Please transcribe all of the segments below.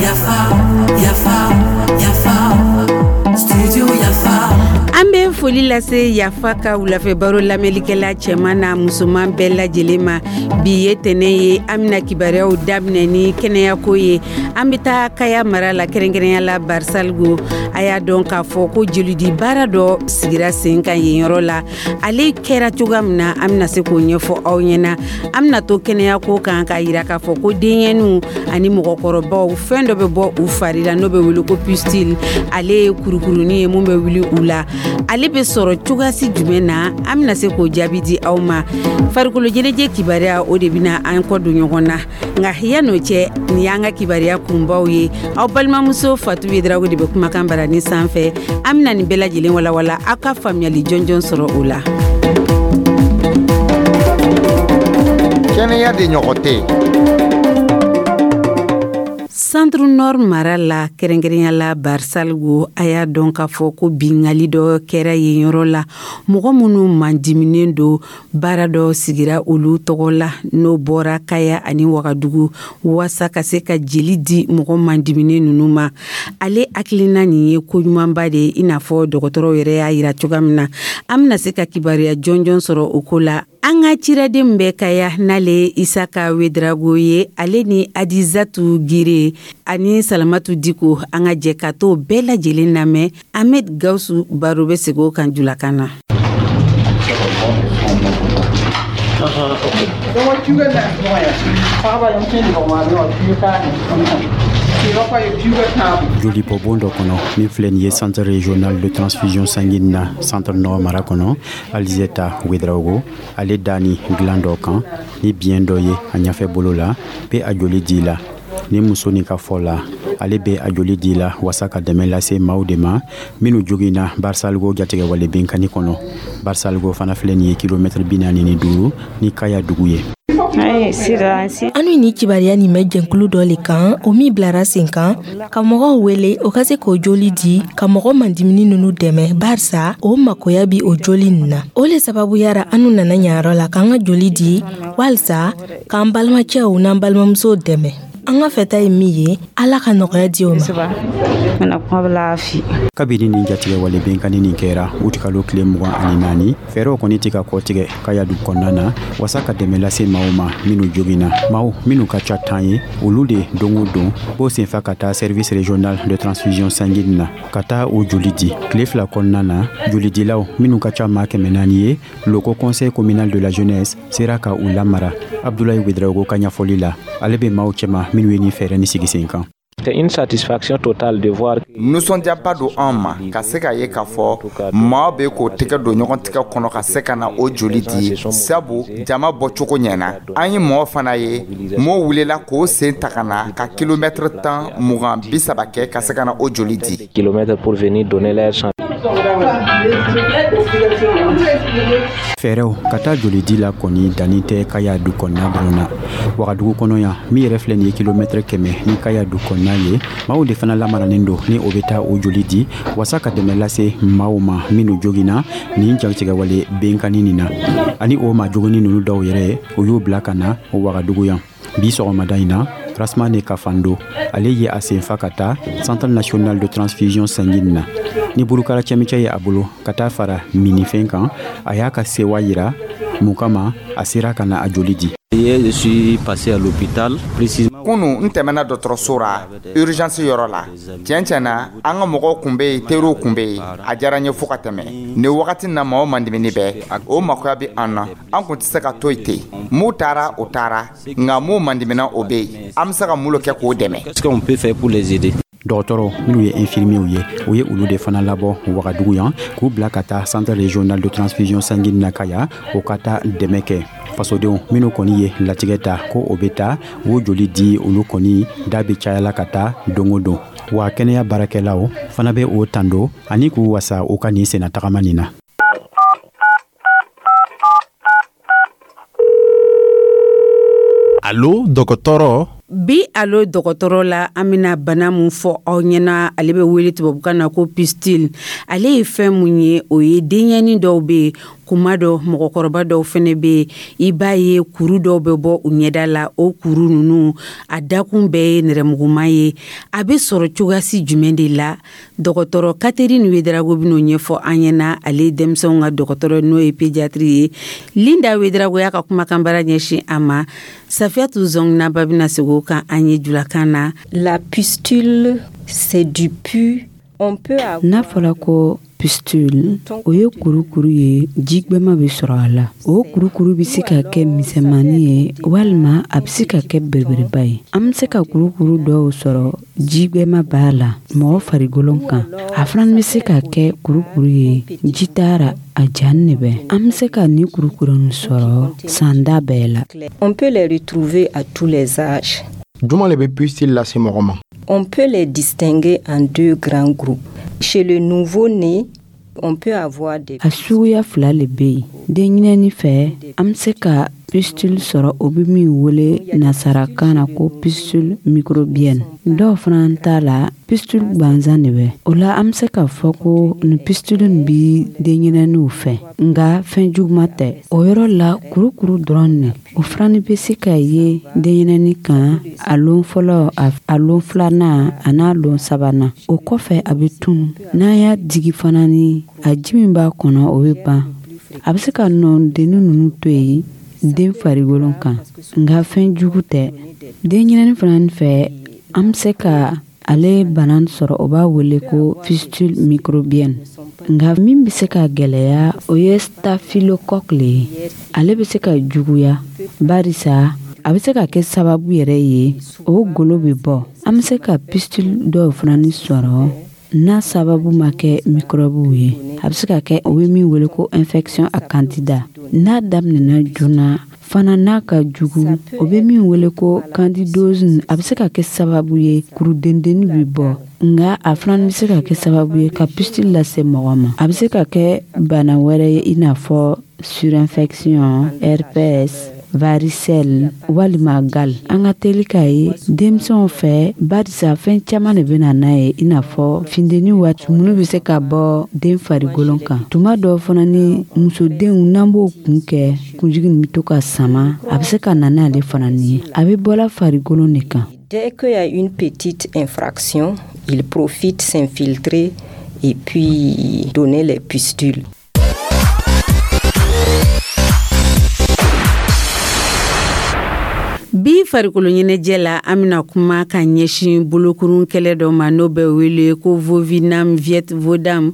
Yafa, yafa, yafa, studio Yafa. An bɛ foli lase Yafa ka wulafɛ baro lamɛnlikɛla cɛman n'a musoman bɛɛ lajɛlen ma. Bi ye tɛnɛ ye, an bɛna kibaruyaw daminɛ ni kɛnɛyako ye. An bɛ taa Kaya mara la, kɛrɛnkɛrɛnya la Barisaligo. A y'a dɔn k'a fɔ ko jolidi baara dɔ sigira sen kan yen yɔrɔ la. Ale kɛra cogoya min na, an bɛna se k'o ɲɛfɔ aw ɲɛna. An bɛna to kɛnɛyako kan k'a yira k'a fɔ ko denyɛninw ani mɔgɔkɔrɔbaw, fɛn dɔ bɛ bɔ u fari la n'o bɛ wele ko pustule. Ale ye kurukurunin ye mun bɛ wuli u la. Ale bɛ sɔrɔ cogoyasi jumɛn na? An bɛna se k'o jaabi di aw ma. Farikolo ɲɛnajɛ kibaruya, o de bɛna an kɔ don ɲɔgɔn na. Nka yan'o cɛ, nin y'an ka kibaruya kunbaw ye. Aw balimamuso Fatu Yedrago de bɛ kumakan barani sanfɛ. An bɛna nin bɛɛ lajɛlen walawala, aw ka faamuyali jɔnjɔn sɔrɔ o la. Kɛnɛya de ɲɔgɔn tɛ. Centre Nord mara la, kɛrɛnkɛrɛnya la Barisaligo, a y'a dɔn k'a fɔ ko bingali dɔ kɛra yen yɔrɔ la. Mɔgɔ minnu mandiminen don, baara dɔ sigira olu tɔgɔ la, n'o bɔra Kaya ani Wagadugu, waasa ka se ka jeli di mɔgɔ mandiminen ninnu ma. Ale hakilina nin ye koɲumanba de ye, i n'a fɔ dɔgɔtɔrɔw yɛrɛ y'a yira cogoya min na. An bɛna se ka kibaruya jɔnjɔn sɔrɔ o ko la. An ka ciraden bɛ Kaya, n'ale ye Isaka Wedrago ye, ale ni Adizatu Gire ani Salamatu Diko, an ka jɛ ka t'o bɛɛ lajɛlen lamɛn. Ahmed Gawusu Baro bɛ segin o kan julakan na. Jolibɔbon dɔ kɔnɔ min filɛ nin ye Centre régional de transfusion sanguine na Centre Nord mara kɔnɔ, Alizeta Wedraogo, ale da ni dilan dɔ kan ni biɲɛ dɔ ye a ɲɛfɛ bolo la, bɛ a joli di la. Ni muso nin ka fɔ la, ale bɛ a joli di la wasa ka dɛmɛ lase maaw de ma minnu joginna Barisaligo jatigɛwale binkanni kɔnɔ. Barisaligo fana filɛ nin ye kilomɛtiri 45 ni Kaya dugu ye. Anu ni kibaruya nin bɛ jɛnkulu dɔ le kan, o min bilara sen kan ka mɔgɔw wele o ka se k'o joli di ka mɔgɔ mandimini nunu dɛmɛ, barisa o makoya bi o joli nin na. O le sababuya ra anu nana ɲayɔrɔ la k'an ka joli di walisa k'an balimacɛw n'an balimamusow dɛmɛ. An ka fɛta ye min ye, Ala ka nɔgɔya di o ma. Kabini nin jatigɛwale binkanni nin kɛra utikalo tile 24, fɛɛrɛw kɔni tɛ ka kɔtigɛ Kaya dugu kɔnɔna na wasa ka dɛmɛ lase maaw ma minnu joginna. Maaw minnu ka ca 10 ye, olu de don o don b'o senfa ka taa service régional de transfusion sanguine na ka taa o joli di. Tile 2 kɔnɔna na, jolidilaw minnu ka ca maa 400 ye, loko conseil communal de la jeunesse sera ka u lamara. Abdoulaye Ouedraogo ka ɲɛfɔli la, ale bɛ maaw cɛma minnu ye nin fɛɛrɛ ni sigi sen kan. C'est une satisfaction totale de voir. Nisɔndiyaba don an ma ka se k'a ye k'a fɔ maa bɛ k'o tɛgɛ don ɲɔgɔn tigɛ kɔnɔ ka se ka na o joli di, sabu jama bɔcogo ɲɛna. An ye mɔgɔ fana ye mɔɔ wulila k'o sen ta ka na ka kilomɛtiri 10, 20, 30 kɛ ka se ka na o joli di. Kilomètres pour venir donner leur sang. Fɛɛrɛw ka taa joli di la kɔni danni tɛ Kaya du kɔnɔna dɔrɔn na. Wagadugu kɔnɔ yan, min yɛrɛ filɛ nin ye kilomɛtiri 100 ni Kaya du kɔnɔna ye, maaw de fana lamaranen don ni o bɛ taa o joli di wasa ka dɛmɛ lase maaw ma minnu joginna nin jatigɛwale binkanni nin na. Ani o maa joginni ninnu dɔw yɛrɛ, o y'u bila ka na Wagadugu yan. Bi sɔgɔmada in na, Rasmane Kafando, ale ye a senfa ka taa Centre national de transfusion sanguine na ni burukara cɛmicɛ ye a bolo ka taa fara minifɛn kan. A y'a ka sewa yira mun kama a sera ka na a joli di. Hier, je suis passé à l'hôpital, précisément. Kunu n tɛmɛna dɔgɔtɔrɔso ra, urgence yɔrɔ la. Tiɲɛ tiɲɛ na, an ka mɔgɔw kun bɛ yen, teriw kun bɛ yen. A diyara n ye fo ka tɛmɛ. Nin wagati na, mɔgɔ mandimini bɛɛ o makoya bɛ an na. An kun tɛ se ka to yen ten. Mun taara, o taara, nka mun mandimina, o bɛ yen. An bɛ se ka mun kɛ k'o dɛmɛ? Qu'est-ce qu'on peut faire pour les aider? Dɔgɔtɔrɔ minnu ye infirmiers ye, o ye olu de fana labɔ Wagadugu yan k'u bila ka taa centre régional de transfusion sanguine na Kaya, o ka taa dɛmɛ kɛ. Fasodenw minnu kɔni ye latigɛ ta ko o bɛ taa o joli di, olu kɔni da bɛ cayala ka taa don o don. Wa kɛnɛya baarakɛlaw fana bɛ o tando ani k'u wasa u ka nin senna tagama nin na. Alo dɔgɔtɔrɔ. Bi alo dɔgɔtɔrɔ la, an bɛna bana mun fɔ aw ɲɛna, ale bɛ wele tubabukan na ko pustule. Ale ye fɛn mun ye? O ye denyɛni dɔw bɛ yen Kuma dɔ, mɔgɔkɔrɔba dɔw fɛnɛ bɛ yen, i b'a ye kuru dɔw bɛ bɔ u ɲɛda la. O kuru ninnu, a dakun bɛɛ ye nɛrɛmuguma ye. A bɛ sɔrɔ cogoyasi jumɛn de la? Dɔgɔtɔrɔ Catherine Ouédraogo bɛn'o ɲɛfɔ an ɲɛna. Ale ye denmisɛnw ka dɔgɔtɔrɔ, n'o ye pédiatre ye. Linda Ouédraogo y'a ka kumakanbara ɲɛsin a ma. Safiyatu Zɔnginaba bɛna segin o kan an ye julakan na. La pustule, c'est du pus. On peut avoir. N'a fɔra ko pustule, o ye kurukuru ye, jigbɛma bɛ sɔrɔ a la. O kurukuru bɛ se ka kɛ misɛnmanin ye walima a bɛ se ka kɛ belebeleba ye. An bɛ se ka kurukuru dɔw sɔrɔ, jigbɛma b'a la mɔgɔ farikolo kan. A fana bɛ se ka kɛ kurukuru ye, ji t'a ra, a janin de bɛ. An bɛ se ka nin kurukuru nin sɔrɔ sanda bɛɛ la. On peut les retrouver à tous les âges. Juma le bɛ pustule lase mɔgɔ ma? On peut les distinguer en deux grands groupes. Chez le nouveau-né, on peut avoir des. A suguya fila le bɛ yen. Denɲɛrɛnnin fɛ, an bɛ se ka pustule sɔrɔ, o bɛ min wele nasarakan na ko pustule microbienne. Dɔw fana t'a la, pustule gansan de bɛ o la. An bɛ se k'a fɔ ko nin pustule nin bi denɲɛrɛnninw fɛ, nka fɛn juguman tɛ. O yɔrɔ la, kurukuru dɔrɔn de. O fana bɛ se ka ye denɲɛrɛnnin kan a lon fɔlɔ, a lon filanan, a n'a lon sabanan. O kɔfɛ, a bɛ tunu. N'an y'a digi fana, ni a ji min b'a kɔnɔ, o bɛ ban. A bɛ se ka nɔdennin ninnu to yen den farikolo kan, nka fɛn jugu tɛ. Denɲɛrɛnnin fana fɛ, an bɛ se ka ale bana sɔrɔ, o b'a wele ko pustule microbienne. Nka min bɛ se ka gɛlɛya, o ye staphylocoque le ye. Ale bɛ se ka juguya, barisa a bɛ se ka kɛ sababu yɛrɛ ye, o golo bɛ bɔ. An bɛ se ka pustule dɔw fana sɔrɔ n'a sababu ma kɛ microbew ye. A bɛ se ka kɛ o bɛ min wele ko infection à candida. N'a daminɛna joona fana, n'a ka jugu, o bɛ min wele ko candidose. A bɛ se ka kɛ sababu ye, kurudendennin bɛ bɔ, nka a fana bɛ se ka kɛ sababu ye ka pustule lase mɔgɔ ma. A bɛ se ka kɛ bana wɛrɛ ye, i n'a fɔ surinfection, herpès, varicelle walima gale. An ka teli k'a ye denmisɛnw fɛ, barisa fɛn caman de bɛ na n'a ye, i n'a fɔ funteni waati minnu bɛ se ka bɔ den farikolo kan. Tuma dɔw fana ni musodenw, n'an b'o kun kɛ, kunjigi nin bɛ to ka sama, a bɛ se ka na n'ale fana ye. A bɛ bɔla farikolo de kan. Dès qu'il y a une petite infraction, il profite s'infiltrer et puis donner les pustules. Bi farikolo ɲɛnajɛ la, an bɛna kuma ka ɲɛsin bolokurun kɛlɛ dɔ ma, n'o bɛ wele ko Vovinam Viet Vodam.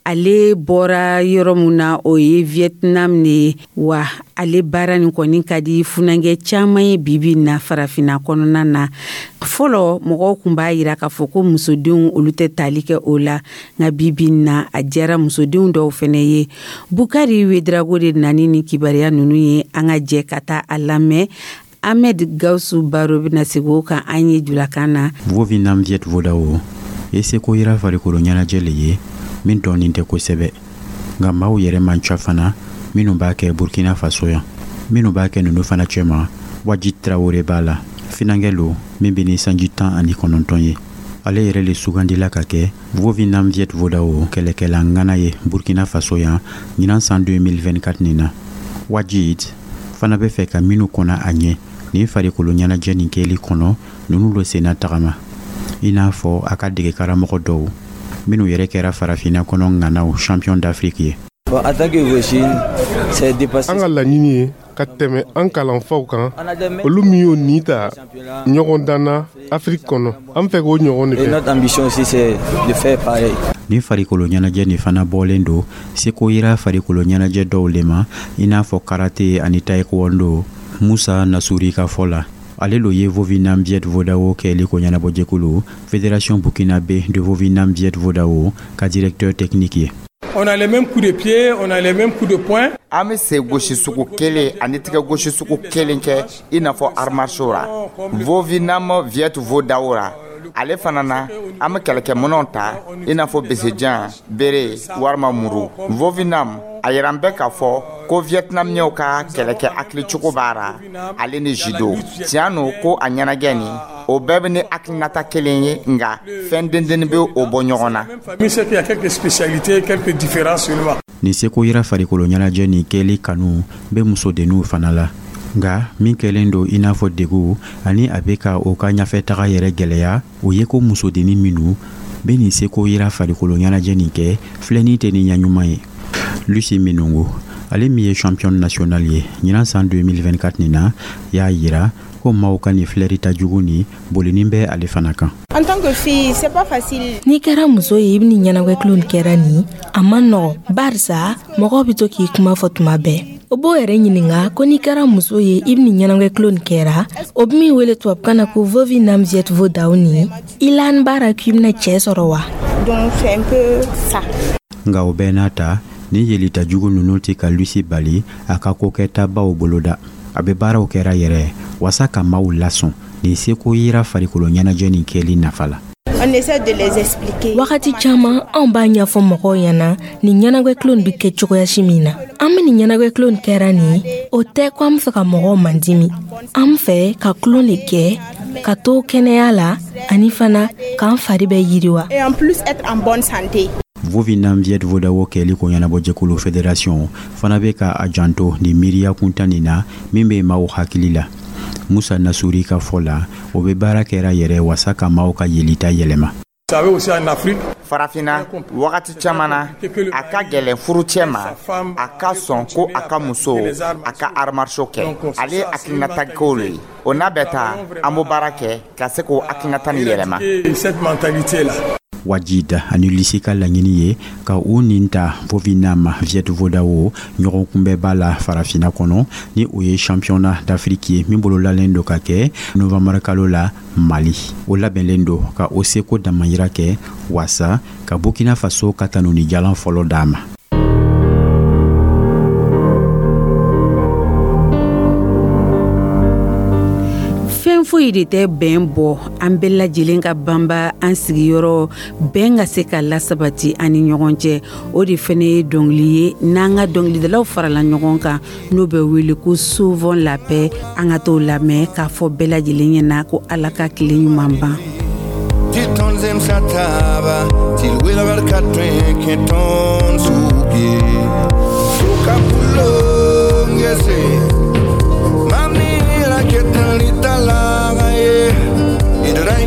Ale bɔra yɔrɔ min na, o ye Vietnam de ye. Wa ale baara nin kɔni ka di funankɛ caman ye bibi na farafinna kɔnɔna na. Fɔlɔ, mɔgɔw tun b'a yira k'a fɔ ko musodenw, olu tɛ tali kɛ o la, nka bibi na, a diyara musodenw dɔw fɛnɛ ye. Bukari Ouédraogo de nani ni kibaruya ninnu ye. An ka jɛ ka taa a lamɛn. Ahmed Gausu Baro bɛna segin o kan an ye julakan na. Vovinam Viet Vodao ye seko yira farikolo ɲɛnajɛ le ye min dɔɔnin tɛ kosɛbɛ, nka maaw yɛrɛ man ca fana minnu b'a kɛ Burkina Faso yan. Minnu b'a kɛ ninnu fana cɛma, Wajid Traoré b'a la, finankɛ lo min bɛ ni sanji 19 ye. Ale yɛrɛ le sugandila ka kɛ Vovinam Viet Vodao kɛlɛkɛla ŋana ye Burkina Faso yan ɲinan san 2024 nin na. Wajid fana bɛ fɛ ka minnu kɔnna a ɲɛ nin farikolo ɲɛnajɛ nin kɛli kɔnɔ, ninnu lo senna tagama, i n'a fɔ a ka dege karamɔgɔ dɔw minnu yɛrɛ kɛra farafinna kɔnɔ ŋanaw champion d'Afrique ye. An ka laɲini ye ka tɛmɛ an kalanfaw kan, olu min y'o nin ta ɲɔgɔn dan na Afiriki kɔnɔ. An fɛ k'o ɲɔgɔn de kɛ. Nin farikolo ɲɛnajɛ nin fana bɔlen don seko yira farikolo ɲɛnajɛ dɔw le ma, i n'a fɔ karate ani taekwondo. Musa Nasuri ka fɔ la, ale lo ye Vovinam Viet Vodao kɛli ko ɲɛnabɔjɛkulu Fédération Burkinabé de Vovinam Viet Vodao ka directeur technique ye. On a les mêmes coups de pied, on a les mêmes coups de poing. An bɛ sen gosi sugu kelen ani tigɛ gosi sugu kelen kɛ, i n'a fɔ arts martiaux ra. Vovinam Viet Vodao ra, ale fana na, an bɛ kɛlɛkɛminɛnw ta, i n'a fɔ besejan, bere walima muru. Vovinam a yira an bɛɛ k'a fɔ ko Vietnamienw ka kɛlɛkɛ hakilicogo b'a ra, ale ni judo. Tiɲɛ no ko a ɲɛnajɛ nin O bɛɛ bɛ ni hakilinata kelen ye, nka fɛn dendennin bɛ o bɔ ɲɔgɔn na. Famille, c'est qu'il y a quelques spécialités, quelques différences seulement. Nin seko yira farikolo ɲɛnajɛ nin kɛli kanu bɛ musodenninw fana la, nka min kɛlen don i n'a fɔ degu ani a bɛ ka o ka ɲɛfɛtaga yɛrɛ gwɛlɛya, o ye ko musodennin minnu bɛ nin seko yira farikolo ɲɛnajɛ nin kɛ, filɛni tɛ ni ɲɛ ɲuman ye. Lusi Minungu, ale min ye champion national ye ɲinan san 2024 nin na, y'a yira ko maaw ka nin filɛrita jugu nin bolinin bɛ ale fana kan. En tant que fille, c'est pas facile. N'i kɛra muso ye, i bɛ nin ɲɛnagwɛ tulon nin kɛra nin, a man nɔgɔ, barisa mɔgɔw bɛ to k'i kuma fɔ tuma bɛɛ. O b'o yɛrɛ ɲininga ko n'i kɛra muso ye, i bɛ nin ɲɛnagwɛ tulon nin kɛra, o bɛ min wele tubabukan na ko Vovinam Viet Vo Dao nin, i la baara k'i bɛna cɛɛ sɔrɔ wa? Donc c'est un peu ça. Nka o bɛɛ n'a ta, ni yelita jugu ninnu tɛ ka Lusi bali a ka kokɛtabaw boloda. A bɛ baaraw kɛra yɛrɛ wasa ka maaw lasɔn nin seko yira farikolo ɲɛnajɛ nin kɛli nafa la. On essaie de les expliquer. Wagati caman, anw b'a ɲɛfɔ mɔgɔw ɲɛna nin ɲɛnagwɛ tulon nin bɛ kɛ cogoya si min na. An bɛ nin ɲɛnagwɛ tulon nin kɛra nin, o tɛ ko an bɛ fɛ ka mɔgɔw mandimi. An fɛ ka tulon de kɛ ka to kɛnɛya la ani fana k'an fari bɛ yiriwa. Et en plus être en bonne santé. Vovinam Viet Vo Dao kɛli ko ɲɛnabɔjɛkulu fédération fana bɛ ka a janto nin miiriya kuntan nin na min bɛ maaw hakili la. Musa Nasuri ka fɔ la, o bɛ baara kɛra yɛrɛ wasa ka maaw ka yelita yɛlɛma. Vous savez, aussi en Afrique, Farafinna, wagati caman na, a ka gɛlɛn furucɛ ma a ka sɔn ko a ka muso a ka arts martiaux kɛ. Ale ye hakilinata kow le ye. O n'a bɛɛ ta, an b'o baara kɛ ka se k'o hakilinata nin yɛlɛma. Cette mentalité là. Wajida ani Lisi ka laɲini ye ka u nin ta Vovinam Viet Vo Dao ɲɔgɔn kunbɛba la Farafina kɔnɔ, ni o ye championnat d'Afrique ye min bololalen don ka kɛ novembre kalo la Mali. O labɛnlen don ka o seko damayira kɛ wasa ka Burkina Faso ka tanuni jalan fɔlɔ d'a ma. Fɛn foyi de tɛ bɛn bɔ. An bɛɛ lajɛlen ka banba an sigiyɔrɔ bɛn ka se ka lasabati an ni ɲɔgɔn cɛ. O de fɛnɛ ye dɔngili ye n'an ka dɔngilidalaw farala ɲɔgɔn kan, n'o bɛ wele ko Sauvons la paix. An ka t'o lamɛn k'a fɔ bɛɛ lajɛlen ɲɛna ko Ala ka tile ɲuman ban. Tɩ tõnd zemsa taaba tɩ d welgr ka tõe n kẽ tõnd sʋk ye soka pʋlong gese mam ne ra ket n rɩta laaga ye d ra.